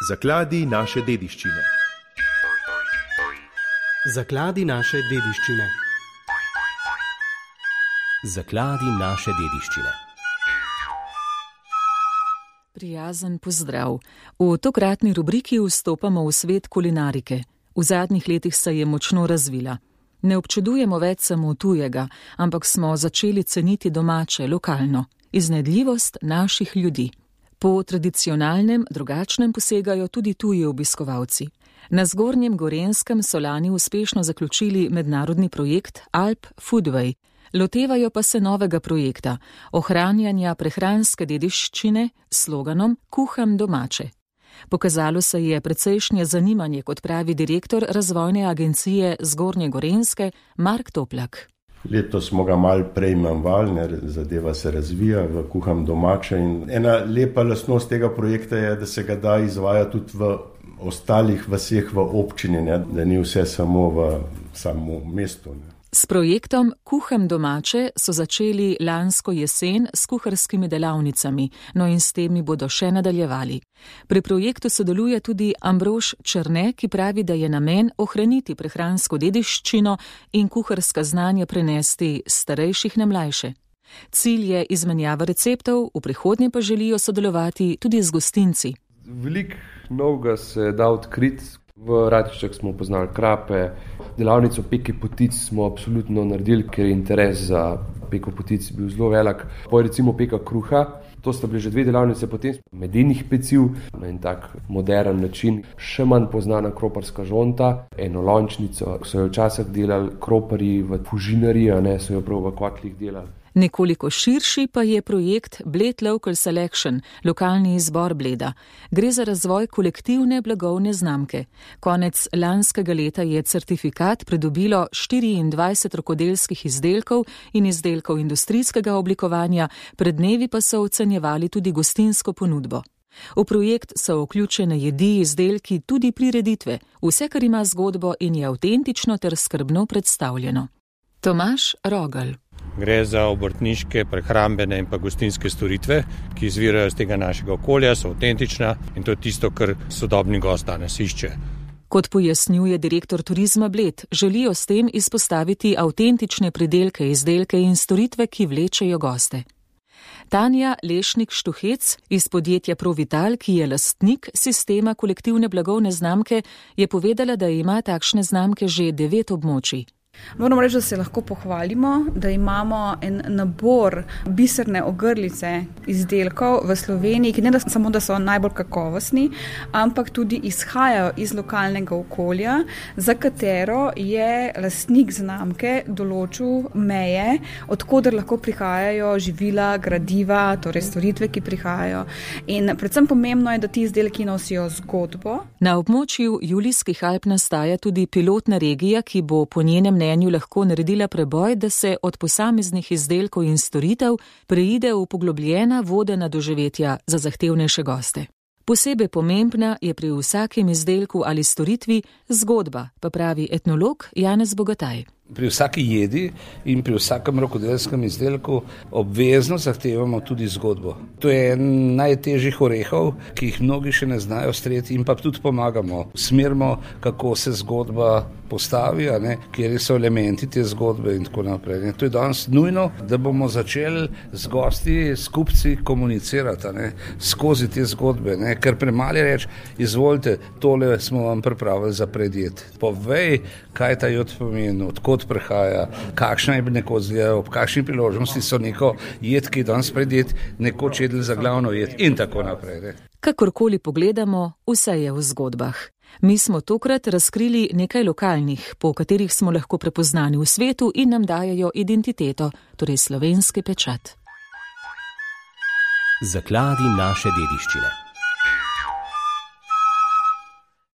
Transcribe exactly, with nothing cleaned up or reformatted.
Zakladi naše dediščine. Zakladi naše dediščine. Zakladi naše dediščine. Prijazen pozdrav. V tokratni rubriki vstopamo v svet kulinarike. V zadnjih letih se je močno razvila. Ne občudujemo več samo tujega, ampak smo začeli ceniti domače, lokalno, iznajdljivost naših ljudi. Po tradicionalnem, drugačnem posegajo tudi tuji obiskovalci. Na Zgornjem Gorenjskem so lani uspešno zaključili mednarodni projekt Alp Foodway. Lotevajo pa se novega projekta, ohranjanja prehranske dediščine s sloganom Kuham domače. Pokazalo se je precejšnje zanimanje, kot pravi direktor razvojne agencije Zgornje Gorenjske Mark Toplak. Letos smo ga malo prej manjvali, zadeva se razvija v Kuham domače in ena lepa lastnost tega projekta je, da se ga da izvaja tudi v ostalih vaseh v občini, ne? Da ni vse samo v samo mestu. Ne? S projektom Kuham domače so začeli lansko jesen s kuharskimi delavnicami, no in s temi bodo še nadaljevali. Pri projektu sodeluje tudi Ambrož Černe, ki pravi, da je namen ohraniti prehransko dediščino in kuharska znanja prenesti starejših na mlajše. Cilj je izmenjava receptov, v prihodnje pa želijo sodelovati tudi z gostinci. Veliko novega se da odkriti. V Ratiščah smo poznali krape, delavnico peke potic smo absolutno naredili, ker je interes za peko potic bil zelo velik. Potem recimo peka kruha, to sta bili že dve delavnice, potem medenih peciv na en tak modern način. Še manj poznana kroparska žonta, eno lončnico, so jo včasih delali kroparji v fužinariji, a ne so jo prav v kotlih delali. Nekoliko širši pa je projekt Bled Local Selection, lokalni izbor bleda. Gre za razvoj kolektivne blagovne znamke. Konec lanskega leta je certifikat pridobilo štiriindvajset rokodelskih izdelkov in izdelkov industrijskega oblikovanja, pred dnevi pa so ocenjevali tudi gostinsko ponudbo. V projekt so vključene jedi, izdelki, tudi prireditve, vse, kar ima zgodbo in je avtentično ter skrbno predstavljeno. Tomaž Rogelj. Gre za obrtniške, prehrambene in pa gostinske storitve, ki izvirajo iz tega našega okolja, so avtentična in to je tisto, kar sodobni gost danes išče. Kot pojasnjuje direktor Turizma Bled, želijo s tem izpostaviti avtentične pridelke, izdelke in storitve, ki vlečejo goste. Tanja Lešnik-Štuhec iz podjetja Provital, ki je lastnik sistema kolektivne blagovne znamke, je povedala, da ima takšne znamke že devet območij. Moram reči, da se lahko pohvalimo, da imamo en nabor biserne ogrlice izdelkov v Sloveniji, ki ne da samo, da so najbolj kakovostni, ampak tudi izhajajo iz lokalnega okolja, za katero je lastnik znamke določil meje, odkoder lahko prihajajo živila, gradiva, torej storitve, ki prihajajo. In predvsem pomembno je, da ti izdelki nosijo zgodbo. Na območju Julijskih Alp nastaja tudi pilotna regija, ki bo po njenem mnenju lahko naredila preboj, da se od posameznih izdelkov in storitev preide v poglobljena vodena doživetja za zahtevnejše goste. Posebej pomembna je pri vsakem izdelku ali storitvi zgodba, pa pravi etnolog Janez Bogataj. Pri vsaki jedi in pri vsakem rokodelskem izdelku obvezno zahtevamo tudi zgodbo. To je en najtežjih orehov, ki jih mnogi še ne znajo streti in pa tudi pomagamo. Smerimo, kako se zgodba postavi, a ne, kjer so elementi te zgodbe in tako naprej. To je danes nujno, da bomo začeli z gosti, s kupci komunicirati, a ne, skozi te zgodbe, ne, ker premalo reči, izvolite, tole smo vam pripravili za predjed. Povej, kaj ta jod pomeni, odkot prihaja, kakšna je nekoč zgleda, ob kakšni priložnosti so neko jed, ki je danes predjed, nekoč jedli za glavno jed in tako naprej. Ne. Kakorkoli pogledamo, vse je v zgodbah. Mi smo tokrat razkrili nekaj lokalnih, po katerih smo lahko prepoznani v svetu in nam dajajo identiteto, torej slovenski pečat. Zakladi naše dediščine.